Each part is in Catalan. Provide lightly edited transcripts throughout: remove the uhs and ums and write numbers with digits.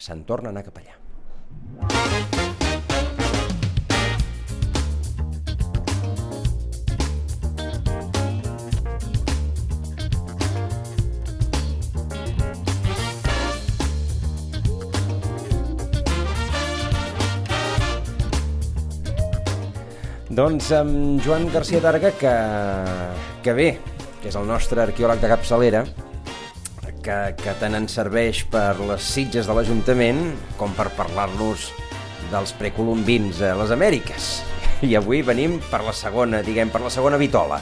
se'n torna a anar cap allà. Doncs amb Joan García Targa, que bé, que és el nostre arqueòleg de capçalera, que tant ens serveix per les sitges de l'Ajuntament com per parlar-nos dels precolombins a les Amèriques. I avui venim per la segona, per la segona vitola.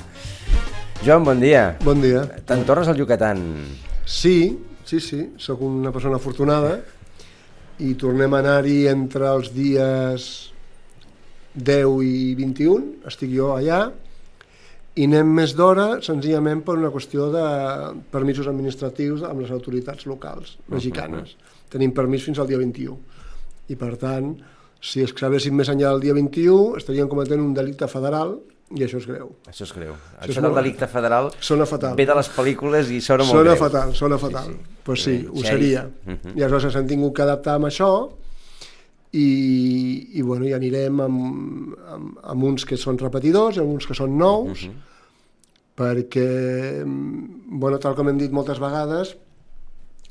Joan, bon dia. Bon dia. Te'n tornes al Yucatán? Sí, sóc una persona afortunada i tornem a anar-hi entre els dies 10 i 21, estic jo allà, i anem més d'hora senzillament per una qüestió de permisos administratius amb les autoritats locals mexicanes. Tenim permís fins al dia 21 i per tant, si excavéssim més enllà del dia 21 estaríem cometent un delicte federal i això és greu. Això és greu. Això del delicte federal ve de les pel·lícules i sona molt greu. Sona fatal. Pues sí, ho seria. I aleshores ens hem tingut que adaptar amb això i anirem amb uns que són repetidors i amb uns que són nous, perquè, tal com hem dit moltes vegades,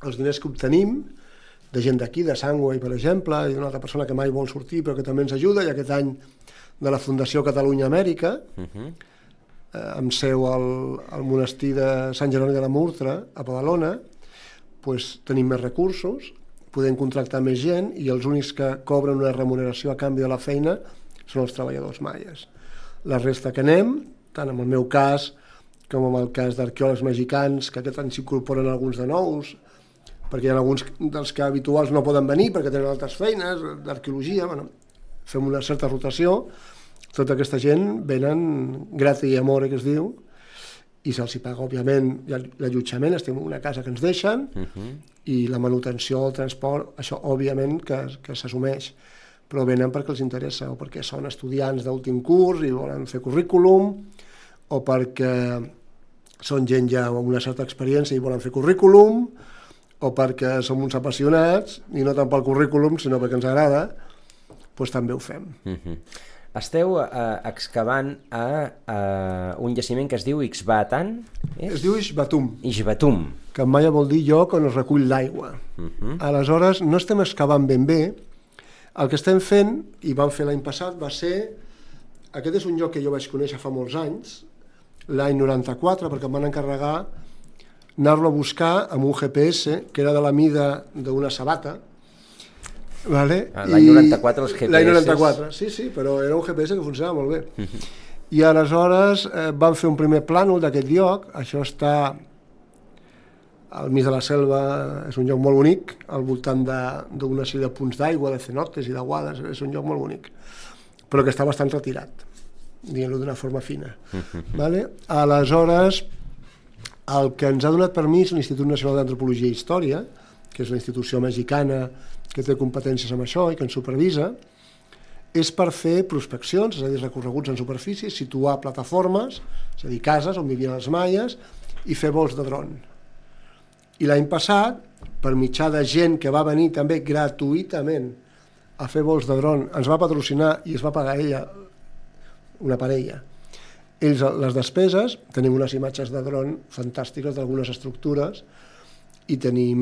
els diners que obtenim de gent d'aquí, de Sangway, per exemple, i d'una altra persona que mai vol sortir però que també ens ajuda, i aquest any de la Fundació Catalunya Amèrica, amb seu al monestir de Sant Jeroni de la Murtra, a Badalona, tenim més recursos, podem contractar més gent i els únics que cobren una remuneració a canvi de la feina són els treballadors maies. La resta que anem, tant en el meu cas com en el cas d'arqueòlegs mexicans, que aquest any s'incorporen alguns de nous, perquè hi ha alguns dels que habituals no poden venir perquè tenen altres feines, d'arqueologia, fem una certa rotació, tota aquesta gent venen gratis i amore, que es diu, i se'ls paga, òbviament, l'allotjament, estem en una casa que ens deixen, i la manutenció, el transport, això, òbviament, que s'assumeix, però venen perquè els interessa, o perquè són estudiants d'últim curs i volen fer currículum, o perquè són gent ja amb una certa experiència i volen fer currículum, o perquè som uns apassionats, i no tant pel currículum, sinó perquè ens agrada, doncs també ho fem. Esteu excavant a un jaciment que es diu Ixbatán? Es diu Ixbatum. Ixbatum. Que en maia vol dir lloc on es recull l'aigua. Aleshores, no estem excavant ben bé. El que estem fent, i vam fer l'any passat, va ser... Aquest és un lloc que jo vaig conèixer fa molts anys, l'any 94, perquè em van encarregar anar-lo a buscar amb un GPS que era de la mida d'una sabata. L'any 94 els GPS... L'any 94, sí, però era un GPS que funcionava molt bé. I aleshores vam fer un primer plànol d'aquest lloc, això està al mig de la selva, és un lloc molt bonic, al voltant d'una sèrie de punts d'aigua, de cenotes i d'aguades, és un lloc molt bonic, però que està bastant retirat, diguem-ho d'una forma fina. Aleshores, el que ens ha donat permís l'Institut Nacional d'Antropologia i Història, que és la institució mexicana que té competències amb això i que ens supervisa, és per fer prospeccions, és a dir, recorreguts en superfície, situar plataformes, és a dir, cases on vivien els maies, i fer vols de dron. I l'any passat, per mitjà de gent que va venir també gratuïtament a fer vols de dron, ens va patrocinar i es va pagar ella, una parella. Ells, les despeses, tenim unes imatges de dron fantàstiques d'algunes estructures i tenim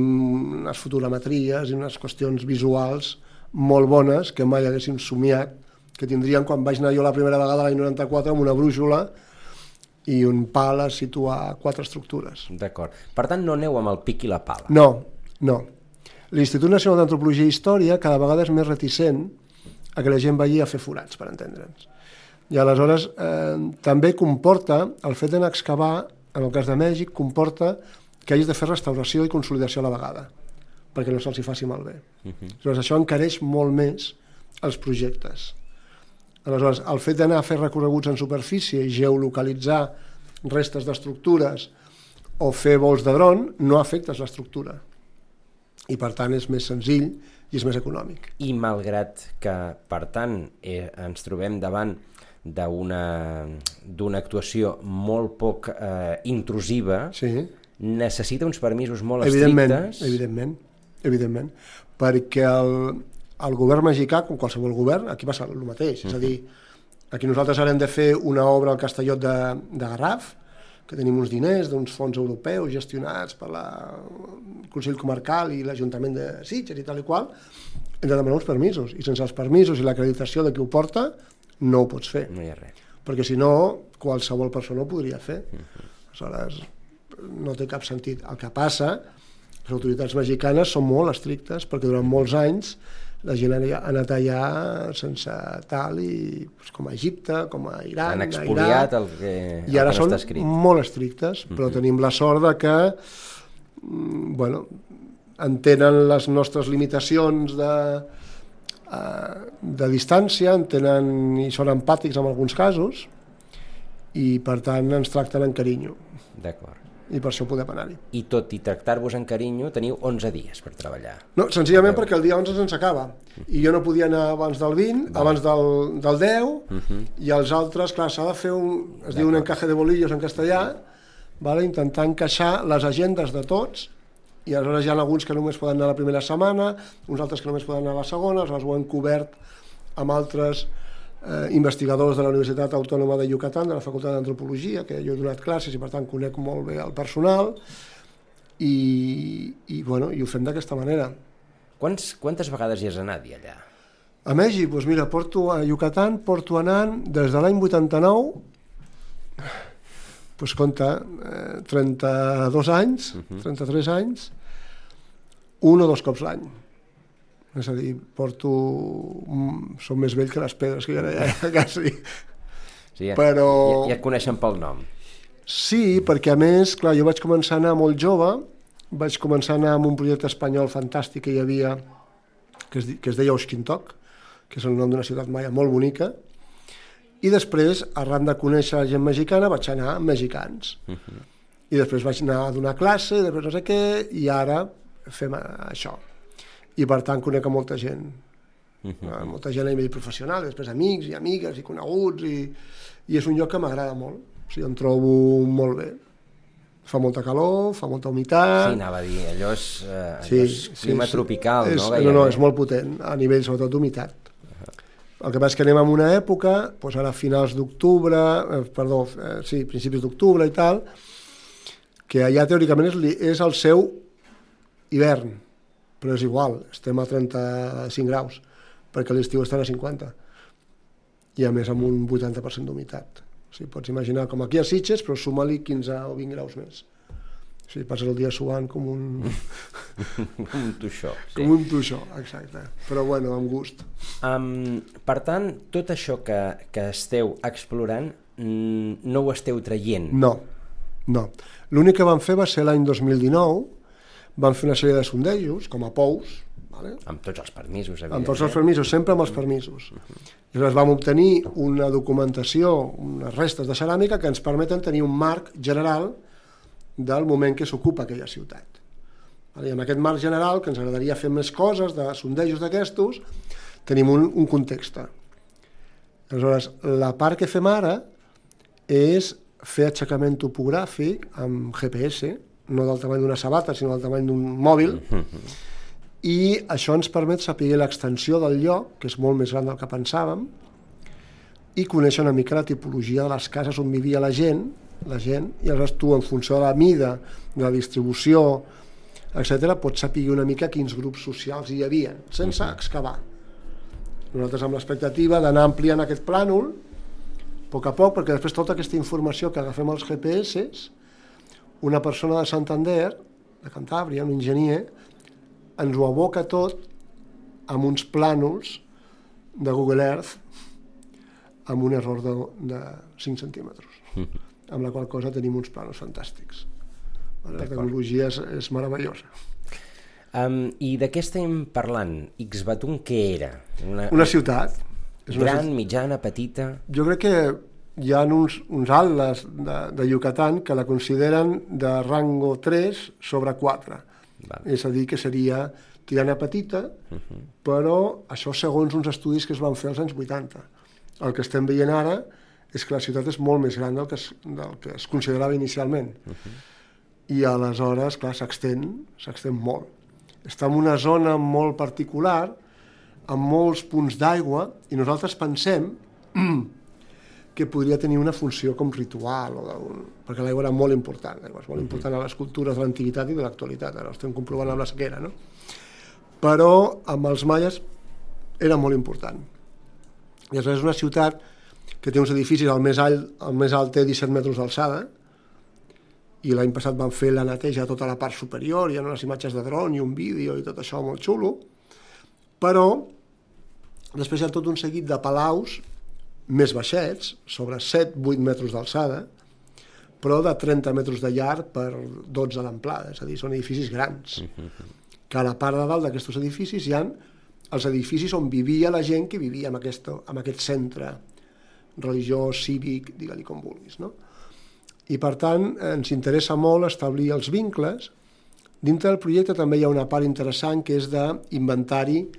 unes fotogrametries i unes qüestions visuals molt bones que mai haguéssim somiat que tindrien quan vaig anar jo la primera vegada l'any 94 amb una brúixola i un pal a situar 4 estructures. D'acord. Per tant, no aneu amb el pic i la pala. No. L'Institut Nacional d'Antropologia i Història cada vegada és més reticent a que la gent vagi a fer forats, per entendre'ns. I aleshores també comporta, el fet d'anar a excavar, en el cas de Mèxic, comporta que hagis de fer restauració i consolidació a la vegada, perquè no se'ls hi faci malbé. Aleshores, això encareix molt més els projectes. Aleshores, el fet d'anar a fer recorreguts en superfície i geolocalitzar restes d'estructures o fer vols de dron no afectes l'estructura. I, per tant, és més senzill i és més econòmic. I malgrat que, per tant, ens trobem davant d'una actuació molt poc intrusiva, necessita uns permisos molt estrictes. Evidentment. perquè el govern mexicà, com qualsevol govern, aquí passa el mateix, és a dir, aquí nosaltres ara hem de fer una obra al Castellot de Garraf, que tenim uns diners d'uns fons europeus gestionats per el Consell Comarcal i l'Ajuntament de Sitges i tal i qual, hem de demanar uns permisos, i sense els permisos i l'acreditació de qui ho porta, no ho pots fer. No hi ha res. Perquè si no, qualsevol persona ho podria fer. Aleshores, no té cap sentit. El que passa, les autoritats mexicanes són molt estrictes, perquè durant molts anys la gent ha anat allà sense tal, i com a Egipte, com a Iran, han expoliat el que i ara no són està escrit. Molt estrictes, però tenim la sort de que entenen les nostres limitacions de distància, entenen i són empàtics en alguns casos, i per tant ens tracten amb carinyo. D'acord. I per això podem anar-hi. I tot i tractar-vos amb carinyo, teniu 11 dies per treballar. No, senzillament perquè el dia 11 se'ns acaba. I jo no podia anar abans del 20, abans del 10, i els altres, clar, s'ha de fer es diu un encaje de bolillos en castellà, intentar encaixar les agendes de tots, i aleshores hi ha alguns que només poden anar la primera setmana, uns altres que només poden anar la segona, aleshores ho hem cobert amb altres investigadors de la Universitat Autònoma de Yucatán, de la Facultat d'Antropologia, que jo he donat classes i per tant conec molt bé el personal, i ho fem d'aquesta manera. Quantes vegades hi has anat allà? A Mèxic, doncs mira, a Yucatán porto anant des de l'any 89, doncs compta, 32 anys, 33 anys, un o dos cops l'any. És a dir, som més vell que les pedres, que jo ja quasi. Sí, però... ja et coneixen pel nom. Sí, perquè a més, clar, jo vaig començar a anar molt jove, vaig començar a anar amb un projecte espanyol fantàstic que hi havia, que es deia Oixquintoc, que és el nom d'una ciutat maia molt bonica, i després, arran de conèixer la gent mexicana, vaig anar amb mexicans. I després vaig anar a donar classe, després no sé què, i ara fem això. I per tant conec a molta gent, molta gent a nivell professional, després amics i amigues i coneguts, i és un lloc que m'agrada molt, o sigui, em trobo molt bé. Fa molta calor, fa molta humitat... Sí, anava a dir, allò és clima tropical, no? No, és molt potent, a nivell sobretot d'humitat. El que passa és que anem en una època, doncs ara a finals d'octubre, principis d'octubre i tal, que allà teòricament és el seu hivern, però és igual, estem a 35 graus, perquè l'estiu estan a 50, i a més amb un 80% d'humitat. O sigui, pots imaginar com aquí a Sitges, però suma-li 15 o 20 graus més. O sigui, passes el dia suant com un... com un toixó. Sí. Com un toixó, exacte. Però bueno, amb gust. Per tant, tot això que esteu explorant no ho esteu traient? No. L'únic que vam fer va ser l'any 2019, vam fer una sèrie de sondejos, com a pous, amb tots els permisos, evidentment. Amb tots els permisos, sempre amb els permisos. I llavors vam obtenir una documentació, unes restes de ceràmica que ens permeten tenir un marc general del moment que s'ocupa aquella ciutat. I amb aquest marc general, que ens agradaria fer més coses, de sondejos d'aquestos, tenim un context. Aleshores, la part que fem ara és fer aixecament topogràfic amb GPS, no del tamany d'una sabata, sinó del tamany d'un mòbil, i això ens permet saber l'extensió del lloc, que és molt més gran del que pensàvem, i conèixer una mica la tipologia de les cases on vivia la gent, i aleshores tu, en funció de la mida, de la distribució, etc., pots saber una mica quins grups socials hi havia, sense excavar. Nosaltres amb l'expectativa d'anar ampliant aquest plànol, a poc, perquè després tota aquesta informació que agafem als GPS, una persona de Santander, de Cantàbria, un enginyer, ens ho aboca tot amb uns plànols de Google Earth amb un error de 5 centímetres, amb la qual cosa tenim uns plànols fantàstics. La tecnologia és meravellosa. I de què estem parlant? Ixbatún què era? Una ciutat. Gran, mitjana, petita? Jo crec que hi ha uns atles de Yucatán que la consideren de rango 3 sobre 4. És a dir, que seria tirant a petita, però això segons uns estudis que es van fer als anys 80. El que estem veient ara és que la ciutat és molt més gran del que es considerava inicialment. I aleshores, clar, s'extén molt. està en una zona molt particular, amb molts punts d'aigua, i nosaltres pensem que podria tenir una funció com ritual, perquè l'aigua era molt important, l'aigua és molt important a les cultures de l'antiguitat i de l'actualitat, ara ho estem comprovant amb la sequera, no? Però amb els maies era molt important. I és una ciutat que té uns edificis, el més alt té 17 metres d'alçada, i l'any passat van fer la neteja de tota la part superior, hi ha unes imatges de dron i un vídeo i tot això molt xulo, però després hi ha tot un seguit de palaus més baixets, sobre 7-8 metres d'alçada, però de 30 metres de llarg per 12 d'amplada, és a dir, són edificis grans. Que a la part de dalt d'aquests edificis hi ha els edificis on vivia la gent que vivia en aquest centre religiós, cívic, digue-li com vulguis, no? I per tant ens interessa molt establir els vincles. Dintre del projecte també hi ha una part interessant que és d'inventari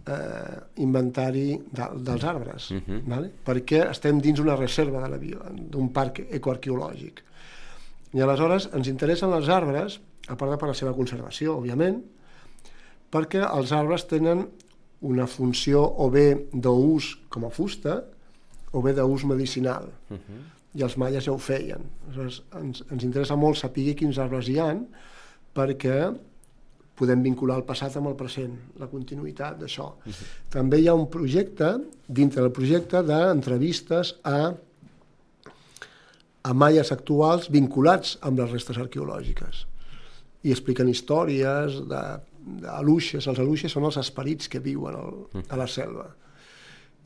dels arbres, vale? Perquè estem dins una reserva d'un parc ecoarqueològic. I aleshores ens interessen els arbres, a part de per la seva conservació, òbviament, perquè els arbres tenen una funció o bé d'ús com a fusta o bé d'ús medicinal. I els maies ja ho feien. Aleshores, ens interessa molt saber quins arbres hi ha perquè podem vincular el passat amb el present, la continuïtat d'això. També hi ha un projecte, dintre del projecte, d'entrevistes a maies actuals vinculats amb les restes arqueològiques. I expliquen històries d'aluixes. Els aluixes són els esperits que viuen a la selva.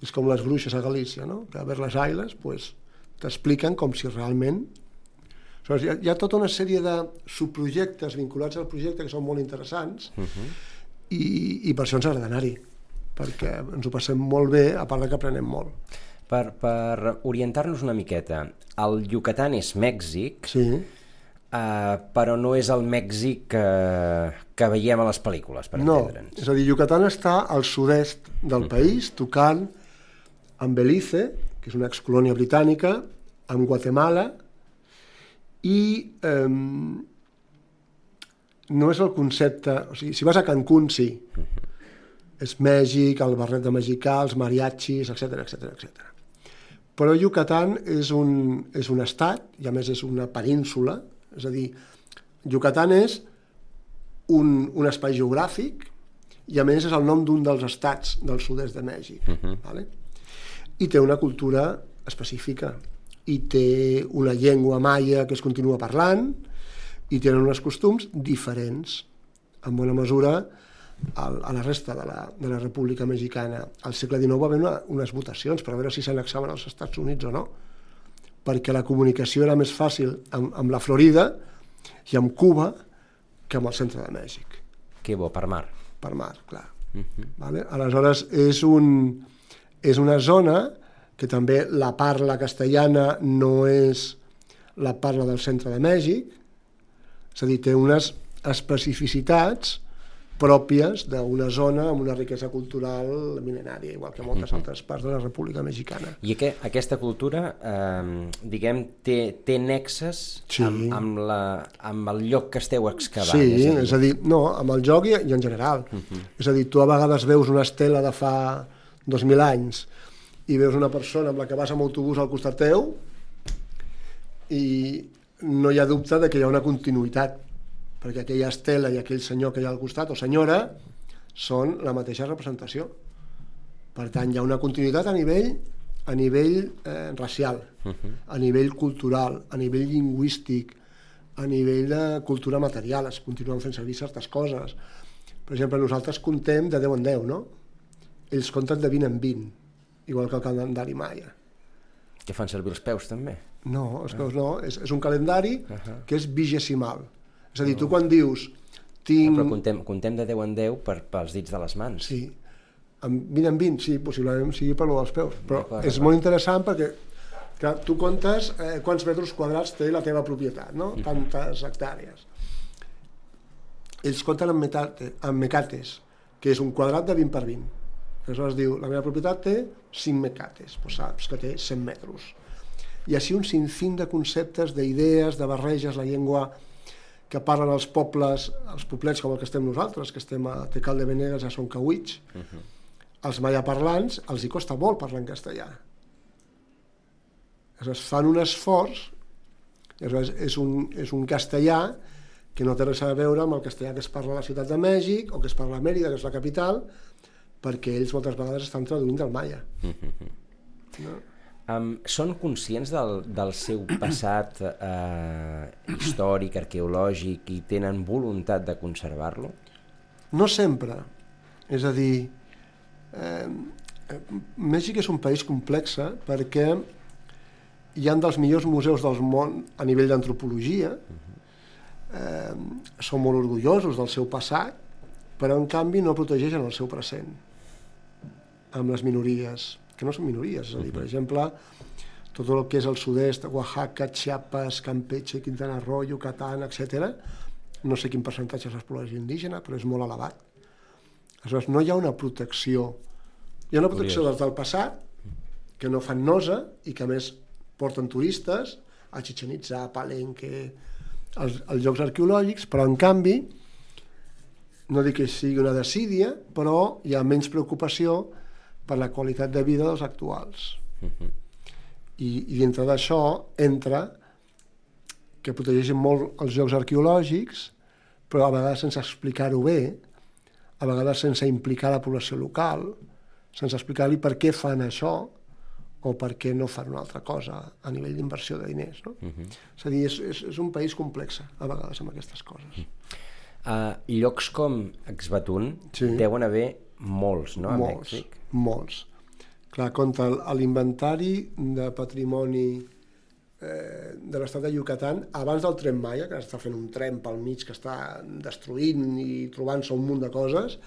És com les bruixes a Galícia, no? Que a veure les ailes, doncs, t'expliquen com si realment... Hi ha tota una sèrie de subprojectes vinculats al projecte que són molt interessants i per això ens agrada anar-hi, perquè ens ho passem molt bé, a part que aprenem molt. Per orientar-nos una miqueta, el Yucatán és Mèxic, sí. Però no és el Mèxic que veiem a les pel·lícules, per entendre'ns. No, és a dir, Yucatán està al sud-est del país, tocant amb Belize, que és una excolònia britànica, amb Guatemala, i no és el concepte... O sigui, si vas a Cancún, sí. És Mèxic, el barret de mexicà, els mariachis, etc. Però Yucatán és un estat, i a més és una península, és a dir, Yucatán és un espai geogràfic i a més és el nom d'un dels estats del sud-est de Mèxic. Vale? I té una cultura específica, i té una llengua maia que es continua parlant, i tenen uns costums diferents, en bona mesura, a la resta de la República Mexicana. Al segle XIX va haver unes votacions per veure si s'annexaven als Estats Units o no, perquè la comunicació era més fàcil amb la Florida i amb Cuba que amb el centre de Mèxic. Que bo, per mar. Per mar, clar. Vale? Aleshores, és una zona que també la parla castellana no és la parla del centre de Mèxic, és a dir, té unes especificitats pròpies d'una zona amb una riquesa cultural mil·lenària, igual que moltes altres parts de la República Mexicana. I aquesta cultura, diguem, té nexes amb el lloc que esteu excavant? Sí, és a dir, no, amb el lloc i en general. És a dir, tu a vegades veus una estela de fa 2.000 anys i veus una persona amb la que vas amb autobús al costat teu i no hi ha dubte de que hi ha una continuïtat, perquè aquella estela i aquell senyor que hi ha al costat, o senyora, són la mateixa representació. Per tant, hi ha una continuïtat a nivell racial, a nivell cultural, a nivell lingüístic, a nivell de cultura material, es continuen fent servir certes coses. Per exemple, nosaltres contem de 10 en 10, no? Ells compten de 20 en 20, igual que el calendari maia. Que fan servir els peus, també? No, els peus no, és un calendari que és vigesimal. És a dir, tu quan dius... Però contem de 10 en 10 pels dits de les mans. Sí, amb 20 en 20, sí, possiblement sigui per lo dels peus, però és molt interessant perquè tu comptes quants metres quadrats té la teva propietat, no? Tantes hectàrees. Ells compten en mecates, que és un quadrat de 20 per 20. Aleshores diu, la meva propietat té 5 mecates, doncs saps que té 100 metres. I així un sinfín de conceptes, d'idees, de barreges, la llengua que parlen els pobles, els poblets com el que estem nosaltres, que estem a Tecal de Benegues, a Soncaüig. Els mallaparlants els hi costa molt parlar en castellà. Aleshores, fan un esforç, és un castellà que no té res a veure amb el castellà que es parla a la Ciutat de Mèxic o que es parla a Mèrida, que és la capital, perquè ells moltes vegades estan traduint del maia. No? Són conscients del seu passat històric, arqueològic, i tenen voluntat de conservar-lo? No sempre. És a dir, Mèxic és un país complex perquè hi ha dels millors museus del món a nivell d'antropologia, són molt orgullosos del seu passat, però en canvi no protegeixen el seu present amb les minories, que no són minories, és a dir, per exemple, tot el que és el sud-est, Oaxaca, Chiapas, Campeche, Quintana Roo, Yucatán, etc. No sé quin percentatge és la població indígena, però és molt elevat. Aleshores, no hi ha una protecció. Hi ha una protecció des del passat, que no fan nosa i que a més porten turistes a Chichén Itzá, a Palenque, als llocs arqueològics, però en canvi, no dic que sigui una desídia, però hi ha menys preocupació per la qualitat de vida dels actuals. I dintre d'això entra que protegeixen molt els llocs arqueològics, però a vegades sense explicar-ho bé, a vegades sense implicar la població local, sense explicar-li per què fan això o per què no fan una altra cosa a nivell d'inversió de diners. No? És a dir, és un país complex a vegades amb aquestes coses. Llocs com Exbatún deuen haver molts, no? Molts, molts. Clar, compte l'inventari de patrimoni de l'estat de Yucatán, abans del Tren Maya, que està fent un tren pel mig que està destruint i trobant-se un munt de coses,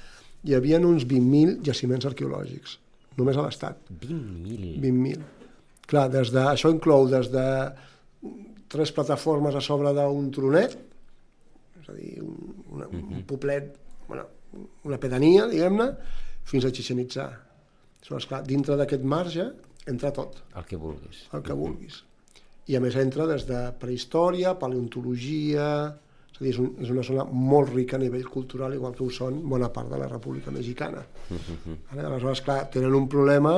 hi havia uns 20.000 jaciments arqueològics, només a l'estat. 20.000? 20.000. Clar, això inclou des de 3 plataformes a sobre d'un tronet, és a dir, un poblet, una pedania, diguem-ne, fins a Chichén Itzá. Clar, dintre d'aquest marge entra tot. El que vulguis. El que vulguis. I a més entra des de prehistòria, paleontologia, és a dir, és una zona molt rica a nivell cultural, igual que ho són bona part de la República Mexicana. Aleshores, clar, tenen un problema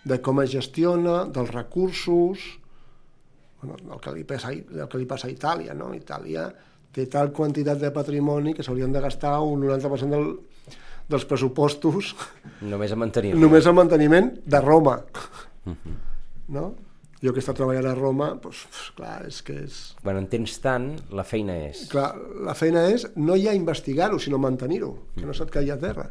de com es gestiona, dels recursos, el que li passa a Itàlia, no? Itàlia té tal quantitat de patrimoni que s'haurien de gastar un 90% dels pressupostos només a mantenir-lo. Només a manteniment de Roma. No? Jo que he estat treballant a Roma, doncs, clar, és que és... Quan en tens tant, la feina és... Clar, la feina és no ja investigar-ho, sinó mantenir-ho, que no se't caigui a terra.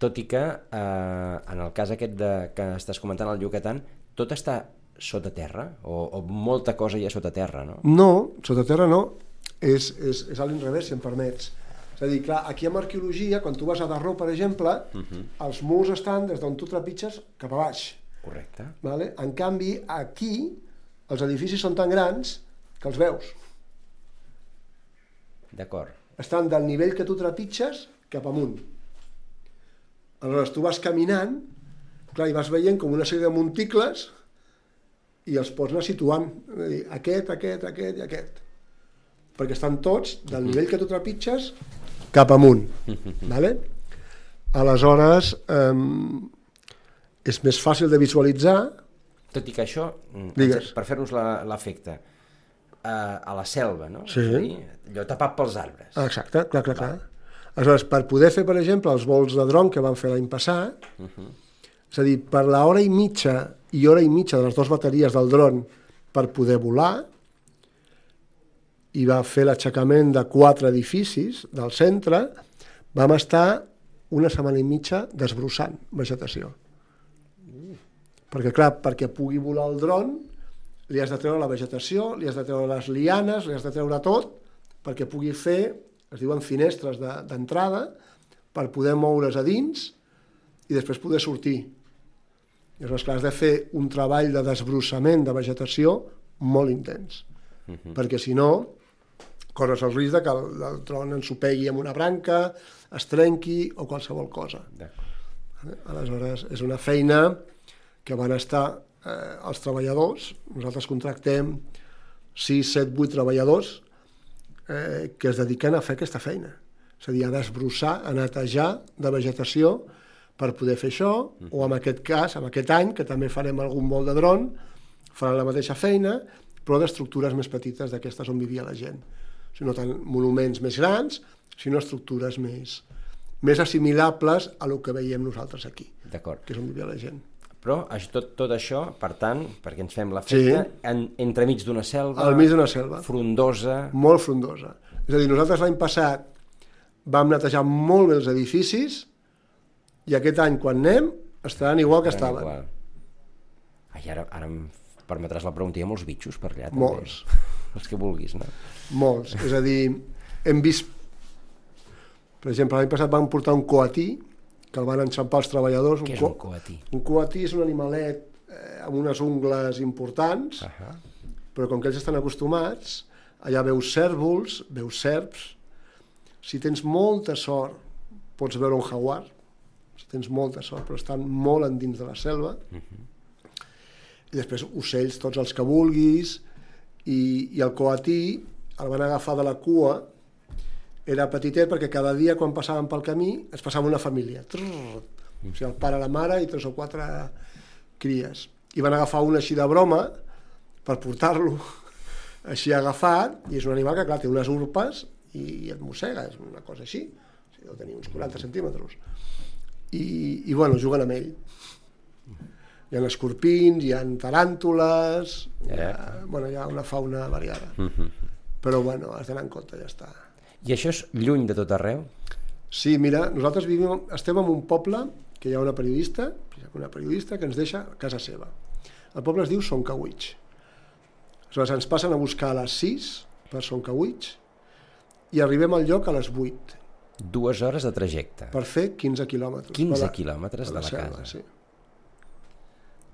Tot i que, en el cas aquest que estàs comentant al Yucatán, tot està sota terra? O molta cosa hi ha sota terra, no? No, sota terra no. És a l'inrevés, si em permets. És a dir, clar, aquí amb arqueologia, quan tu vas a Darro, per exemple, els murs estan des d'on tu trepitges cap a baix. Correcte. Vale? En canvi, aquí, els edificis són tan grans que els veus. D'acord. Estan del nivell que tu trepitges cap amunt. Aleshores, tu vas caminant, clar, i vas veient com una sèrie de monticles i els pots anar situant. És a dir, aquest i aquest. Perquè estan tots del nivell que tu trepitges cap amunt. Vale? Aleshores, és més fàcil de visualitzar. Tot i que això, per fer-nos l'efecte, a la selva, no? Sí. És a dir, allò tapat pels arbres. Exacte, clar. Aleshores, per poder fer, per exemple, els vols de dron que van fer l'any passat, és a dir, per l'hora i mitja de les 2 bateries del dron per poder volar, i va fer l'aixecament de 4 edificis del centre, vam estar una setmana i mitja desbrossant vegetació. Perquè, clar, perquè pugui volar el dron, li has de treure la vegetació, li has de treure les lianes, li has de treure tot, perquè pugui fer, es diuen finestres d'entrada, per poder moure's a dins i després poder sortir. I llavors, clar, has de fer un treball de desbrossament de vegetació molt intens, perquè si no, corres el risc que el tron ensopegui amb una branca, es trenqui o qualsevol cosa. Aleshores, és una feina que van estar els treballadors, nosaltres contractem 6, 7, 8 treballadors que es dediquen a fer aquesta feina. És a dir, a desbrossar, a netejar de vegetació per poder fer això, o en aquest cas, en aquest any, que també farem algun vol de dron, faran la mateixa feina, però d'estructures més petites d'aquestes on vivia la gent. O sigui, no tant monuments més grans, sinó estructures més assimilables a lo que veiem nosaltres aquí, que és on vivia la gent. Però tot això, per tant, perquè ens fem l'efecte, entremig d'una selva, al mig d'una selva, frondosa. Molt frondosa. És a dir, nosaltres l'any passat vam netejar molt bé els edificis i aquest any, quan anem, estaran igual que estaven. Ai, ara em permetràs la pregunta, hi ha molts bitxos per allà, també? Molts. Els que vulguis, no? Molts. És a dir, hem vist... Per exemple, l'any passat vam portar un coatí, que el van enxampar els treballadors. Què és un coatí? Un coatí és un animalet amb unes ungles importants, però com que ells estan acostumats, allà veus cèrvols, veus serps. Si tens molta sort, pots veure un jaguar, si tens molta sort, però estan molt endins de la selva. I després ocells, tots els que vulguis, i el coatí el van agafar de la cua. Era petitet perquè cada dia quan passàvem pel camí es passava una família. O sigui, el pare, la mare i 3 o 4 cries. I van agafar un així de broma per portar-lo així agafat, i és un animal que, clar, té unes urpes i et mossega, és una cosa així. O sigui, deu tenir uns 40 centímetres. I bueno, juguen amb ell. Hi ha escorpins, hi ha taràntules, hi ha una fauna variada. Però bueno, has d'anar en compte, ja està. I això és lluny de tot arreu? Sí, mira, nosaltres estem en un poble que hi ha una periodista que ens deixa a casa seva. El poble es diu Soncawitx. Aleshores ens passen a buscar a les 6 per Soncawitx i arribem al lloc a les 8. 2 hores de trajecte. Per fer 15 quilòmetres. 15 quilòmetres de la selva, casa. Sí.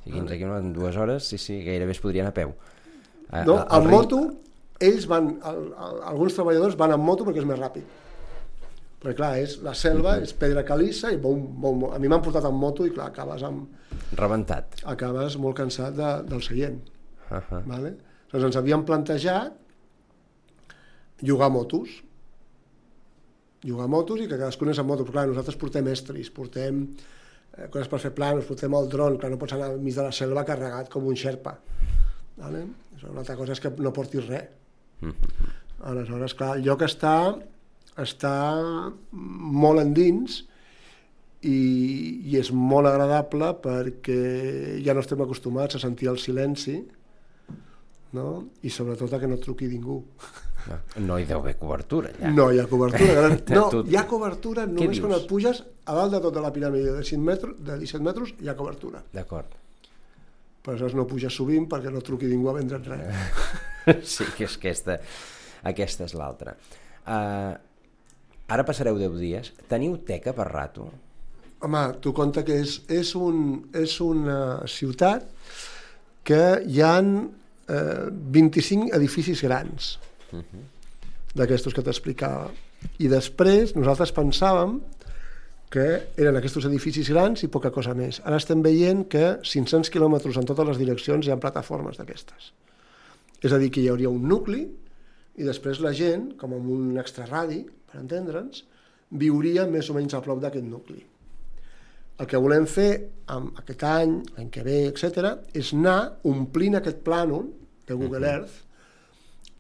15 quilòmetres en 2 hores, sí, gairebé es podrien a peu. No, en moto, ells van, alguns treballadors van en moto perquè és més ràpid. Perquè clar, la selva és pedra calissa i bom. A mi m'han portat en moto i clar, acabes rebentat. Acabes molt cansat del seient. Vale? Doncs ens havíem plantejat llogar motos i que cadascun és en moto, però clar, nosaltres portem estris, portem coses per fer planos, portem el dron, clar, no pots anar al mig de la selva carregat com un xerpa. Vale? Una altra cosa és que no portis res. Aleshores, clar, el lloc està molt endins i és molt agradable perquè ja no estem acostumats a sentir el silenci, no? I sobretot a que no truqui ningú. No hi deu haver cobertura allà. No hi ha cobertura. No, hi ha cobertura només quan et puges a dalt de tota la piràmide de 17 metres hi ha cobertura. D'acord. Però aleshores no puges sovint perquè no truqui ningú a vendre't res. Sí, que és aquesta és l'altra. Ara passareu 10 dies. Teniu teca per rato? Home, tu compta que és una ciutat que hi ha 25 edificis grans d'aquestos que t'explicava. I després nosaltres pensàvem que eren aquests edificis grans i poca cosa més. Ara estem veient que 500 quilòmetres en totes les direccions hi ha plataformes d'aquestes. És a dir, que hi hauria un nucli i després la gent, com amb un extraradi, per entendre'ns, viuria més o menys a prop d'aquest nucli. El que volem fer aquest any, l'any que ve, etc., és anar omplint aquest plànol de Google Earth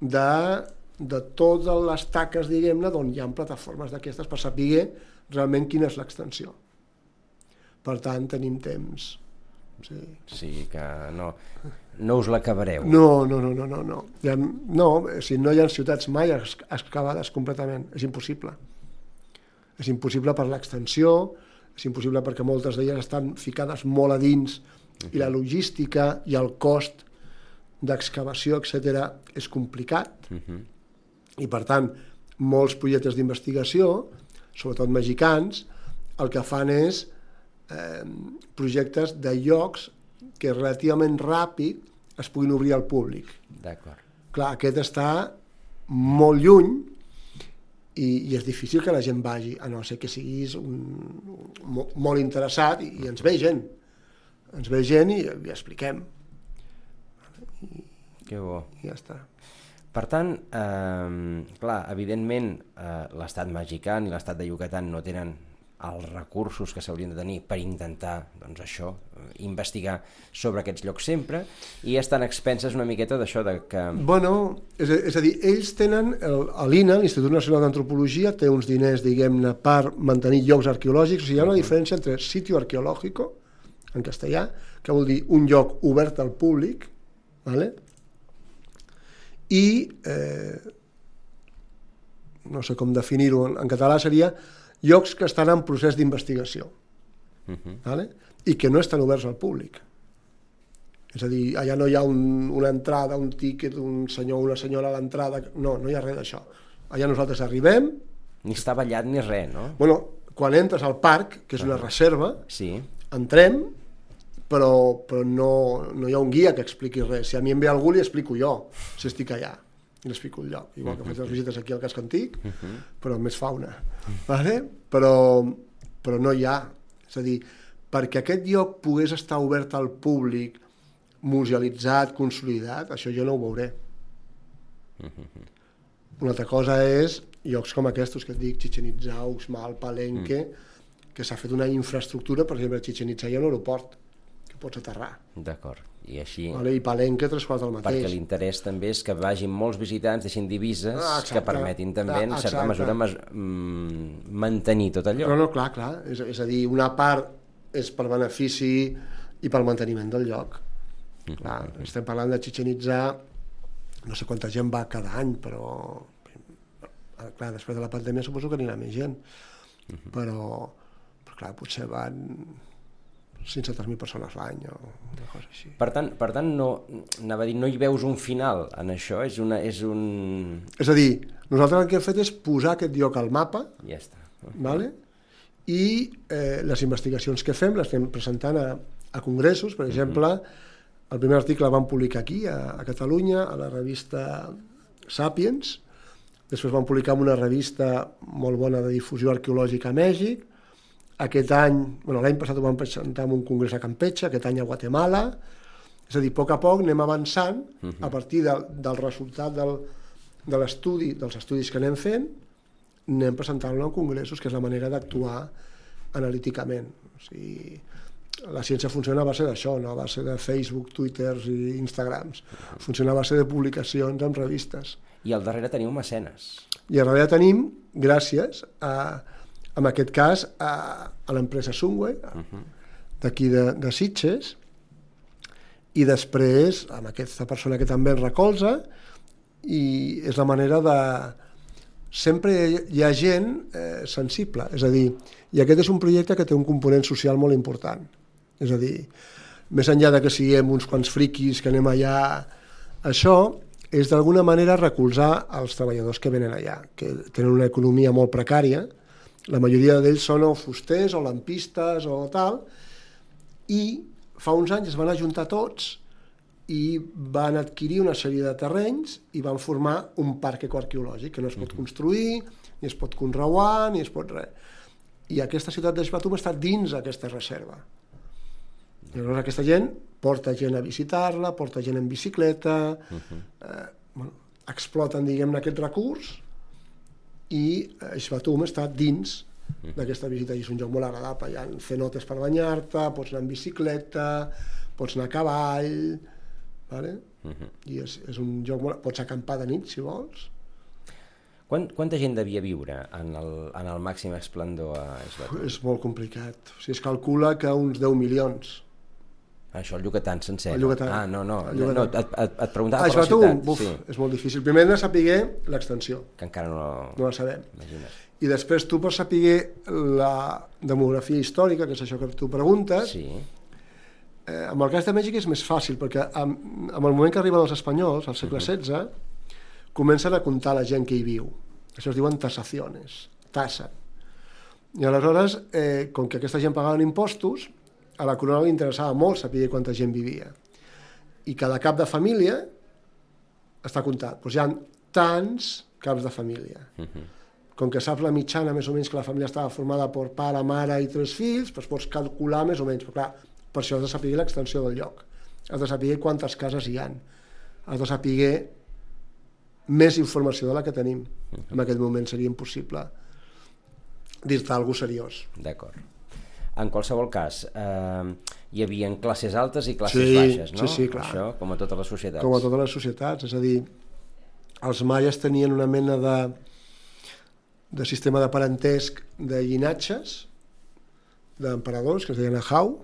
de totes les taques, diguem-ne, d'on hi ha plataformes d'aquestes per saber realment quina és l'extensió. Per tant, tenim temps. Sí, que no us l'acabareu. No. No, si no hi ha ciutats mai excavades completament, és impossible. És impossible per l'extensió, és impossible perquè moltes d'elles estan ficades molt a dins i la logística i el cost d'excavació, etc., és complicat. I per tant, molts projectes d'investigació, sobretot mexicans, el que fan és projectes de llocs que relativament ràpid es puguin obrir al públic. D'acord. Clar, aquest està molt lluny i és difícil que la gent vagi, a no ser que siguis molt interessat i ens ve gent. Ens ve gent i expliquem. Que bo. I ja està. Per tant, clar, evidentment l'estat mexicà i l'estat de Yucatán no tenen els recursos que s'haurien de tenir per intentar, doncs això, investigar sobre aquests llocs sempre, i estan expenses una miqueta d'això de que... Bueno, és a dir, ells tenen, l'INA, l'Institut Nacional d'Antropologia, té uns diners, diguem-ne, per mantenir llocs arqueològics. O sigui, hi ha una diferència entre sitio arqueológico, en castellà, que vol dir un lloc obert al públic, ¿vale? I, no sé com definir-ho, en català seria llocs que estan en procés d'investigació, ¿vale? I que no estan oberts al públic. És a dir, allà no hi ha una entrada, un tíquet, un senyor o una senyora a l'entrada, no hi ha res d'això. Allà nosaltres arribem... Ni està ballat ni res, no? Bueno, quan entres al parc, que és una reserva, sí. Entrem, però no hi ha un guia que expliqui res. Si a mi em ve algú, li explico jo, si estic allà. I l'explico el lloc, igual que faig les visites aquí al casc antic, però amb més fauna, vale? però no hi ha, és a dir, perquè aquest lloc pogués estar obert al públic, musealitzat, consolidat, això jo no ho veuré. Una altra cosa és llocs com aquests que et dic, Chichén Itzá, Uxmal, Palenque, que s'ha fet una infraestructura, per exemple, a Chichén Itzá hi ha un aeroport, que pots aterrar. D'acord. I així... I Palenque 3 quarts del mateix. Perquè l'interès també és que vagin molts visitants, deixin divises que permetin també, en certa mesura, mantenir tot allò. No, clar. És a dir, una part és per benefici i pel manteniment del lloc. Clar, estem parlant de Chichén Itzá, no sé quanta gent va cada any, però clar, després de la pandèmia suposo que anirà més gent. Però clar, potser van 500.000 persones l'any o una cosa així. Per tant no, anava a dir, no hi veus un final en això? És a dir, nosaltres el que hem fet és posar aquest lloc al mapa, ja està. Vale? I les investigacions que fem les estem presentant a congressos. Per exemple, el primer article el vam publicar aquí, a Catalunya, a la revista Sapiens. Després vam publicar en una revista molt bona de difusió arqueològica a Mèxic. Aquest any, l'any passat ho vam presentar en un congrés a Campeche, aquest any a Guatemala. És a dir, a poc anem avançant a partir del resultat de l'estudi, dels estudis que anem fent, anem presentant-lo en congressos, que és la manera d'actuar analíticament. O sigui, la ciència funciona a base d'això, no a base de Facebook, Twitters i Instagrams. Funciona a base de publicacions en revistes. I al darrere teniu mecenes. I al darrere tenim, gràcies en aquest cas, a l'empresa Sunway, d'aquí de Sitges, i després amb aquesta persona que també el recolza, i és la manera de... Sempre hi ha gent sensible, és a dir, i aquest és un projecte que té un component social molt important. És a dir, més enllà de que siguem uns quants friquis que anem allà, això és d'alguna manera recolzar els treballadors que venen allà, que tenen una economia molt precària. La majoria d'ells són o fusters o lampistes o tal, i fa uns anys es van ajuntar tots i van adquirir una sèrie de terrenys i van formar un parc ecoarqueològic que no es pot construir, ni es pot conreuar, ni es pot res. I aquesta ciutat d'Exbatum està dins aquesta reserva. I llavors aquesta gent porta gent a visitar-la, porta gent en bicicleta, exploten, diguem-ne, aquest recurs, i Exbatum està dins d'aquesta visita, i és un lloc molt agradable. Hi ha cenotes per banyar-te, pots anar en bicicleta, pots anar a cavall, vale? I és un lloc molt... Pots acampar de nit, si vols. Quanta gent devia viure en el màxim esplendor a Exbatum? És molt complicat. O sigui, es calcula que uns 10 milions. Això, el Yucatán sencer. El Yucatán. Ah, no, et preguntava per la ciutat. Sí. És molt difícil. Primer hem de saber l'extensió. Que encara no la sabem. Imagina't. I després tu pots saber la demografia històrica, que és això que tu preguntes. Sí. Amb el cas de Mèxic és més fàcil, perquè amb el moment que arriben els espanyols, al segle XVI, comencen a comptar la gent que hi viu. Això es diuen tasaciones, tassen. I aleshores, com que aquesta gent pagaven impostos, a la corona li interessava molt saber quanta gent vivia. I cada cap de família està comptat. Doncs hi ha tants caps de família. Com que saps la mitjana, més o menys, que la família estava formada per pare, mare i 3 fills, doncs pots calcular més o menys. Però clar, per això has de saber l'extensió del lloc. Has de saber quantes cases hi ha. Has de saber més informació de la que tenim. En aquest moment seria impossible dir-te alguna cosa seriós. D'acord. En qualsevol cas, hi havia classes altes i classes baixes, no? Sí, clar. Això, com a totes les societats. Com a totes les societats, és a dir, els maies tenien una mena de sistema de parentesc de llinatges d'emperadors, que es deien Ahau,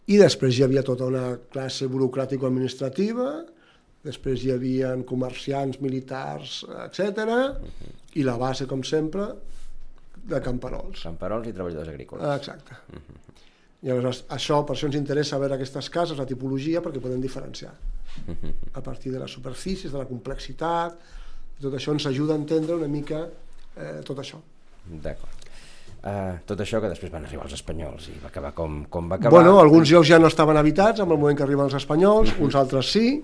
i després hi havia tota una classe burocràtico-administrativa, després hi havia comerciants, militars, etc. I la base, com sempre, de camperols. Camperols i treballadors agrícoles. Exacte. I aleshores, això, per això ens interessa veure aquestes cases, la tipologia, perquè podem diferenciar. A partir de les superfícies, de la complexitat, tot això ens ajuda a entendre una mica tot això. D'acord. Tot això que després van arribar els espanyols i va acabar com va acabar. Bueno, alguns llocs ja no estaven habitats en el moment que arriben els espanyols, uns altres sí,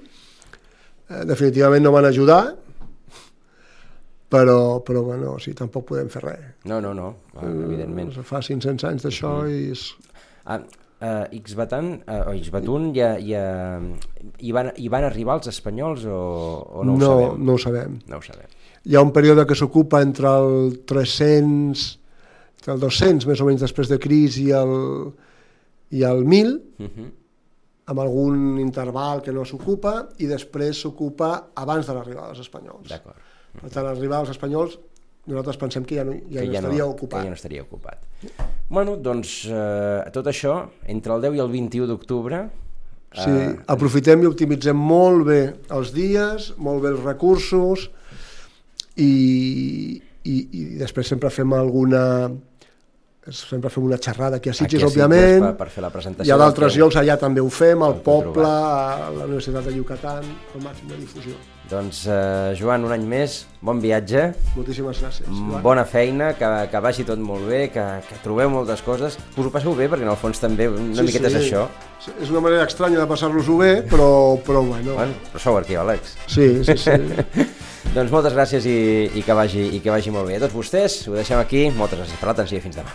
definitivament no van ajudar, però bueno, sí, tampoc podem fer res. No, evidentment. Fa 500 anys d'això i és... Ixbatun hi van arribar els espanyols o no ho sabem? No ho sabem. No ho sabem. Hi ha un període que s'ocupa entre el 300, entre el 200 més o menys després de Cris i el 1000, amb algun interval que no s'ocupa, i després s'ocupa abans de l'arribada dels espanyols. D'acord. Per tant, al arribar els espanyols, nosaltres pensem que ja no estaria ocupat. Que ja no estaria ocupat. Bueno, doncs, tot això, entre el 10 i el 21 d'octubre... Sí, aprofitem i optimitzem molt bé els dies, molt bé els recursos, i després sempre fem una xerrada aquí a Sitges, òbviament. Per fer la presentació. Hi ha d'altres llocs, allà també ho fem, al poble, a la Universitat de Yucatán, al màxim de difusió. Doncs, Joan, un any més, bon viatge. Moltíssimes gràcies, Joan. Bona feina, que vagi tot molt bé, que trobeu moltes coses, que us ho passeu bé, perquè en el fons també una miqueta és això. És una manera estranya de passar-nos-ho bé, però bueno. Però sou arqueòlegs. Sí. Doncs moltes gràcies i que vagi molt bé. A tots vostès, ho deixem aquí. Moltes gràcies per l'atenció i fins demà.